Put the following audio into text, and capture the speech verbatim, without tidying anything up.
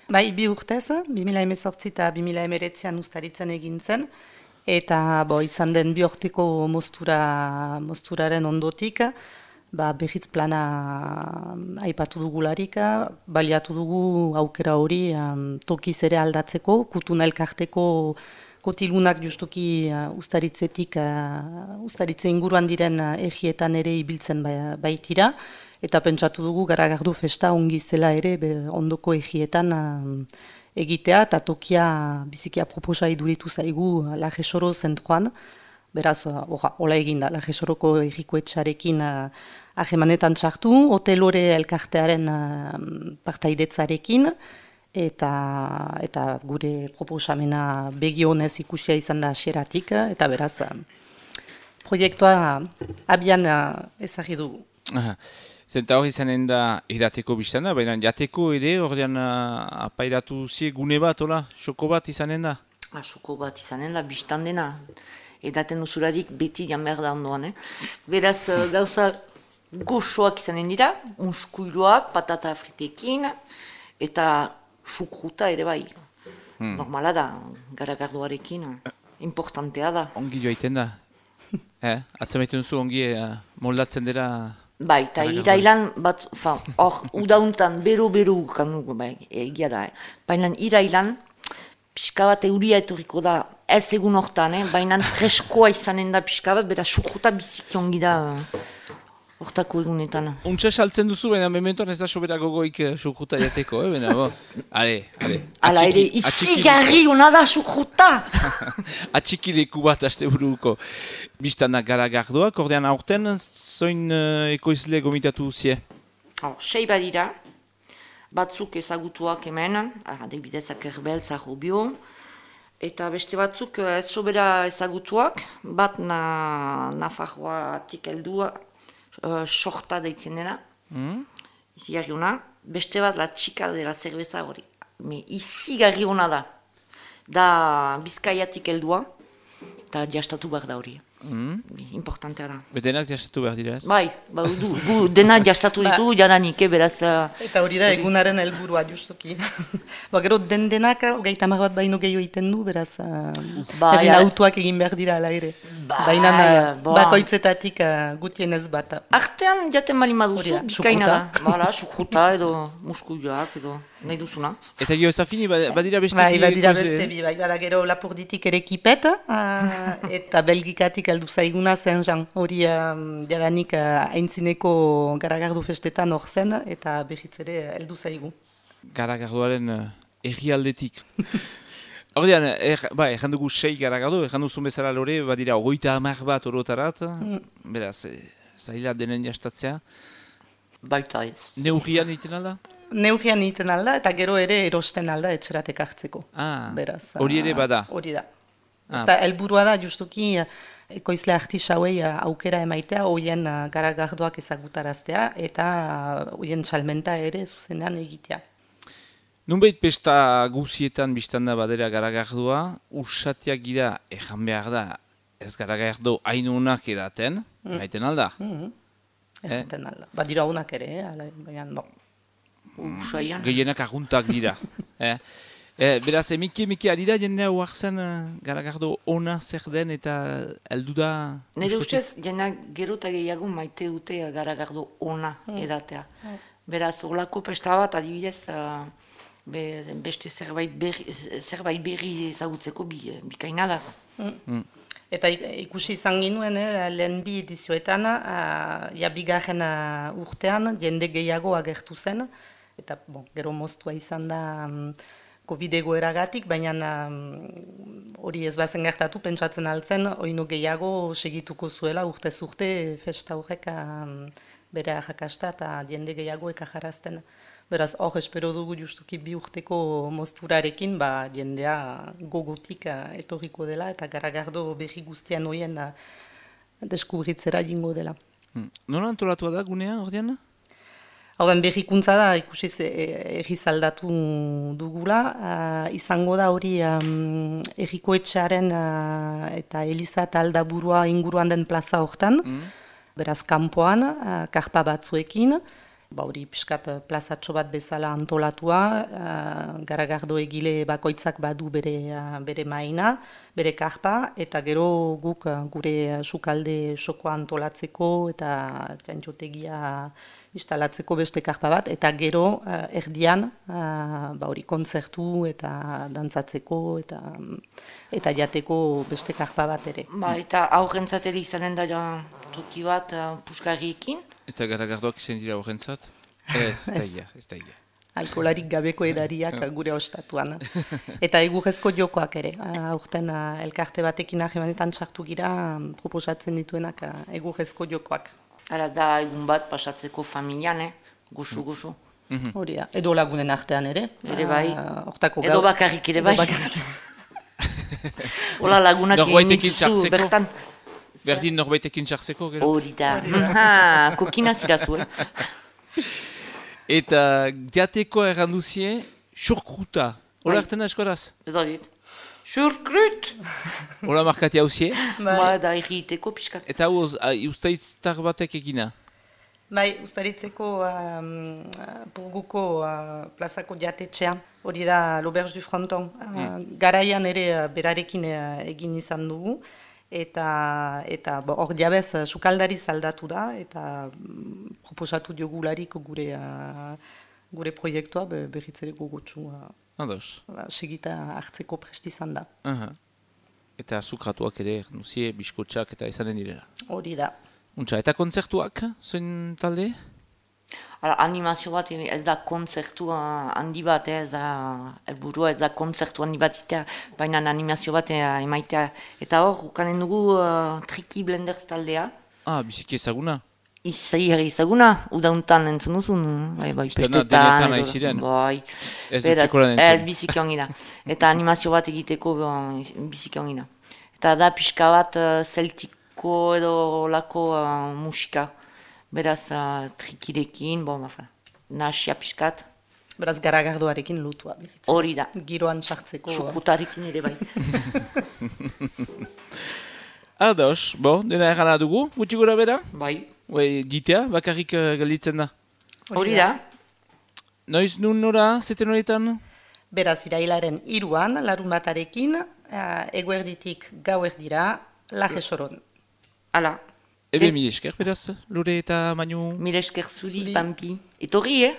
Bai, bi urtez, bi mila hemezortzi eta bi mila hemeretzian ustaritzen egin zen, eta bo, izan den bi urteko moztura, mozturaren ondotik, ba, berriz plana aipatu dugularik, baliatu dugu aukera hori um, tokiz ere aldatzeko, kutuna elkarteko kotilunak justuki uh, ustaritzetik, uh, ustaritze inguruan diren uh, egietan ere ibiltzen ba, baitira, eta pentsatu dugu Garagardo festa ongi zela ere be, ondoko egietan uh, egitea, eta tokia bizikia proposa iduritu zaigu uh, Lajesoro zentroan, beraz, uh, oha, hola eginda, Lajesoroko egiko etxarekin uh, ahemanetan txartu, hotelore elkartearen uh, partaidetzarekin, Eta, eta gure proposamena begionez ikusia izan da xeratik, eta beraz, proiektua abian ezagri dugu. Zenta hori izanen da edateko biztana, baina jateko ere, ordean apairatu zie gune bat, hola, xoko bat izanen da? Ah, xoko bat izanen da, biztan dena. Edaten usurarik beti jan behar da ondoan, eh? Beraz, gauza goxoak izanen dira, unskuiloak, patata fritekin, eta sukruta ere bai. Hmm. Normala da, Garagardoarekin, importantea da. Ongi joaiten da. eh? Atzamaiten duzu ongi uh, moldatzen dira... Bai, eta irailan bat, hor, udauntan, bero-bero kanugu, bai, egia da, eh? Baina irailan, pixka bat euria etorriko da, ez egun hortan, eh? Baina freskoa izanen da pixka bat, bera sukruta biziki ongi da, hortako egunetan. Untsa saltzen duzu, baina mementoan ez da sobera gogoik sukruta jateko, eh? Baina, bo, ale, ale. Ala ere, izigarri hona da sukruta! Atxikileku bat aste buruko. Biztanak Garagardoak, ordean aurten, zoin uh, ekoizle gomitatu zie? Oh, sei badira, batzuk ezagutuak hemen, adibidez Akerbel, Zarrobio, eta beste batzuk ez sobera ezagutuak, bat na, Nafarroatik heldua, Uh, sorta deitzen dena, mm. izigarri hona, beste bat la txika dela zerbeza hori. Me izigarri hona da, da Bizkaiatik heldua, eta jastatu behar da hori. Mm. Importantea da. Denak jastatu behar dira ez? Bai, ba, du, gu, denak jastatu ditu, jadanik, eh, beraz... Uh, eta hori da egunaren helburua justuki. Ba, gero den denak, hogeita hamar bat baino gehiago egiten du, beraz, uh, ba, egin ja. Autoak egin behar dira ala ere. Ba, baina uh, bakoitzetatik uh, gutienez bat. Artean jaten bali maduzu, Bizkaina da. Bala, sukruta edo muskuioak edo nahi duzuna. Eta gio ez da fini, badira beste bi? Bai, badira beste bi, bai, bada gero Lapurditik ere kipet, uh, eta Belgikatik heldu zaiguna zen jan. Hori um, jadanik uh, aintzineko Garagardo festetan hor zen, eta berriz ere heldu zaigu. Garagardoaren uh, errialdetik. Ordean, er, ba, erran dugu sei Garagardo, erran duzu bezala lore, badira ogoita hamar bat orotarat, mm. beraz, e, zaila denen jastatzea. Baita ez. Neurrian egiten alda? Neurrian egiten alda, eta gero ere erosten alda etxeratek hartzeko. Ah, beraz, hori ere bada? Hori da. Ah. Eta helburua da, justuki, ekoizle artisauei aukera emaitea, hoien Garagardoak ezagutaraztea, eta hoien salmenta ere zuzenean egitea. Nunbait pesta guzietan biztanda badera Garagardoa, usatiak gira ejan behar da, ez Garagardo hainunak edaten, mm. haiten alda? Mm-hmm. Edaten eh? alda. Badira honak ere, eh? baina no. Mm. Gehienak aguntak dira. eh? eh, beraz, emiki emiki ari da jendea huartzen uh, Garagardo ona zer den eta heldu da... Nire ustez, jendeak gero eta gehiago maite dute Garagardo ona mm. edatea. Mm. Beraz, olako pesta bat adibidez... Uh, Be, beste zerbait berri, zerbait berri ezagutzeko bi, bikaina da. Mm. Mm. Eta ikusi izan ginuen, eh, lehen bi edizioetan, uh, ja bigarren uh, urtean, jende gehiago agertu zen, eta bon, gero moztua izan da um, Covid egoeragatik, baina hori um, ez bazen gertatu, pentsatzen altzen, oino gehiago segituko zuela urtez urte festa horrek um, bere arrakasta eta jende gehiago ekajarazten. Beraz, hor espero dugu justuki bi urteko mozturarekin, ba, jendea gogotik uh, etorriko dela eta Garagardo berri guztian horien uh, deskubritzera jingo dela. Hmm. Nola antolatua da gunea, ordean? Horren berrikuntza da, ikusiz erriz aldatu dugula. Uh, izango da hori um, erriko etxearen uh, eta Eliza eta Aldaburua inguruan den plaza hortan. Mm. Beraz, kanpoan, uh, karpa batzuekin. ba hori pixkat plazatxo bat bezala antolatua, uh, garagardo egile bakoitzak badu bere, uh, bere maina, bere karpa, eta gero guk uh, gure sukalde sokoa antolatzeko eta txantxotegia instalatzeko beste karpa bat, eta gero uh, erdian uh, ba hori kontzertu eta dantzatzeko eta, eta jateko beste karpa bat ere. Ba, eta aurrentzat ere izanen da ja, toki bat uh, puskarriekin. Eta garagardoak izan dira horrentzat? Ez, ez da ia, ez da ia. Alkolarik gabeko edariak gure ostatuan. Eta egurrezko jokoak ere. Aurten elkarte batekin ahemanetan sartu gira proposatzen dituenak egurrezko jokoak. Ara da egun bat pasatzeko familian, eh? Gusu, gusu. Hori da, edo lagunen artean ere. Ere bai, Hortako edo bakarrik ere bai. Hola lagunak egin bertan. Berdin norbaitekin txartzeko, gero? Hori da. Ha, kokina zirazu, eh? Eta jateko erranduzie, xurkruta. Hola hartzen da eskoraz? Edo dit. Xurkrut! Hola markati hauzie? Ba, da egiteko pixkak. Eta hau, ustaitztar batek egina? Bai, ustaritzeko um, Burguko uh, plazako jatetxea. Hori da l'Auberge du Fronton. Uh, mm. Garaian ere uh, berarekin uh, egin izan dugu. Eta eta hor diabez sukaldari zaldatu da eta mm, proposatu diogularik gure uh, gure proiektua be, berritzere gogotsu uh, uh, segita hartzeko presti izan da. Uh -huh. Eta sukratuak ere, nuzie, biskotxak eta izanen direla. Hori da. Untxa, eta kontzertuak, zoin talde? Hala, animazio bat ez da kontzertu handi bat, ez da helburua, ez da kontzertu handi bat itea, baina animazio bat emaitea. Eta hor, ukanen dugu uh, Triki Blenders taldea. Ah, biziki ezaguna? Izai ezaguna, udauntan entzun duzun, bai, bai, pestetan. Denetan aiziren? Bai, ez dutxekoran entzun. Ez biziki ongina. Eta animazio bat egiteko biziki ongina. Eta da pixka bat uh, zeltiko edo lako uh, musika. Beraz, uh, trikirekin, bon, bafa, nahasia piskat. Beraz, garagardoarekin lutua. Hori da. Giroan sartzeko. Sukrutarekin ere bai. Ados, bo, dena erana dugu, gutxi gura bera? Bai. Ue, gitea, bakarrik uh, gelditzen da. Hori da. Noiz nun nora, zeten horietan? Beraz, irailaren iruan, larun batarekin, uh, eguerditik gauerdira, laje soron. Hala. Ebe mil esker, beraz, Lore eta Manu? Mil esker zuri, Pampi. Etorri, eh?